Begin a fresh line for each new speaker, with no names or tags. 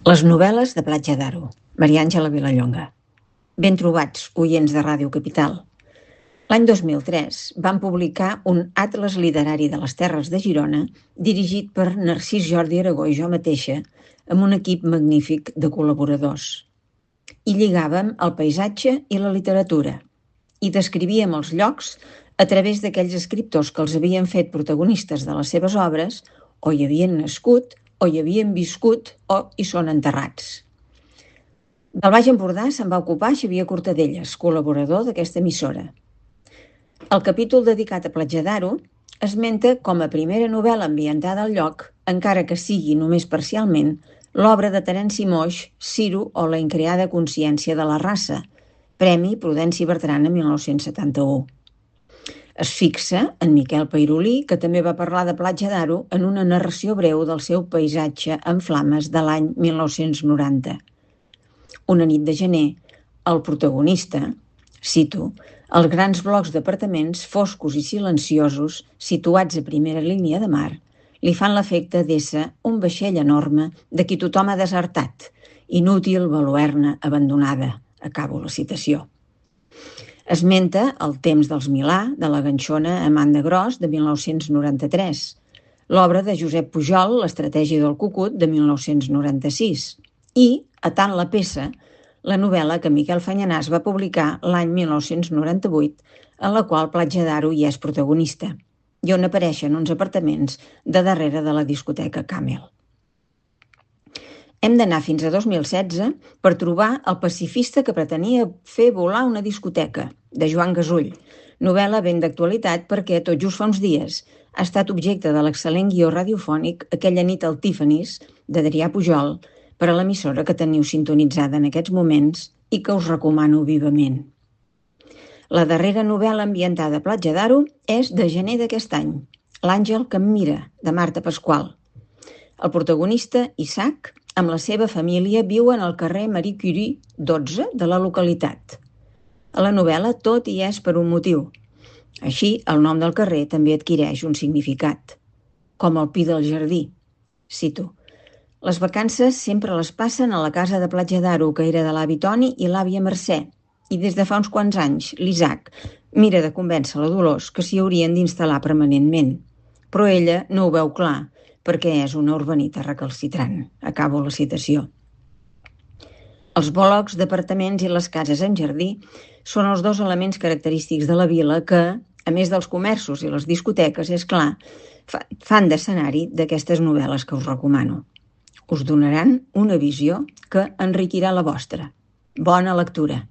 Les novel·les de Platja d'Aro, Maria Àngela Vilallonga. Ben trobats, oients de Ràdio Capital. L'any 2003 van publicar un atles literari de les terres de Girona dirigit per Narcís Jordi Aragó i jo mateixa, amb un equip magnífic de col·laboradors. Hi lligàvem el paisatge i la literatura i descrivíem els llocs a través d'aquells escriptors que els havien fet protagonistes de les seves obres o hi havien nascut o hi havien viscut o hi són enterrats. Del Baix Empordà se'n va ocupar Xavier Cortadelles, col·laborador d'aquesta emissora. El capítol dedicat a Platja d'Aro esmenta com a primera novel·la ambientada al lloc, encara que sigui només parcialment, l'obra de Terenci Moix, Ciro o la increada consciència de la raça, Premi Prudenci Bertran en 1971. Es fixa en Miquel Peirolí, que també va parlar de Platja d'Aro en una narració breu del seu paisatge en flames de l'any 1990. Una nit de gener, el protagonista, cito, els grans blocs d'apartaments foscos i silenciosos, situats a primera línia de mar, li fan l'efecte d'ésser un vaixell enorme de qui tothom ha desertat, inútil baluerna abandonada, acabo la citació. Esmenta El temps dels Milà, de la ganxona Amanda Gros, de 1993, l'obra de Josep Pujol, L'estratègia del cucut, de 1996, i, a tant la peça, la novel·la que Miquel Fanyanàs va publicar l'any 1998, en la qual Platja d'Aro hi és protagonista, i on apareixen uns apartaments de darrere de la discoteca Camel. Hem d'anar fins a 2016 per trobar El pacifista que pretenia fer volar una discoteca, de Joan Gasull, novel·la ben d'actualitat perquè tot just fa uns dies ha estat objecte de l'excel·lent guió radiofònic Aquella nit al Tiffany's, d'Adrià Pujol, per a l'emissora que teniu sintonitzada en aquests moments i que us recomano vivament. La darrera novel·la ambientada a Platja d'Aro és de gener d'aquest any, L'àngel que em mira, de Marta Pasqual. El protagonista, Isaac, amb la seva família viuen al carrer Marie Curie 12 de la localitat. A la novel·la tot hi és per un motiu. Així, el nom del carrer també adquireix un significat, com el pi del jardí. Cito, les vacances sempre les passen a la casa de Platja d'Aro, que era de l'avi Toni i l'àvia Mercè, i des de fa uns quants anys l'Isaac mira de convèncer la Dolors que s'hi haurien d'instal·lar permanentment, però ella no ho veu clar, perquè és una urbanita recalcitrant. Acabo la citació. Els blocs d'apartaments i les cases en jardí són els dos elements característics de la vila que, a més dels comerços i les discoteques, és clar, fan d'escenari d'aquestes novel·les que us recomano. Us donaran una visió que enriquirà la vostra. Bona lectura!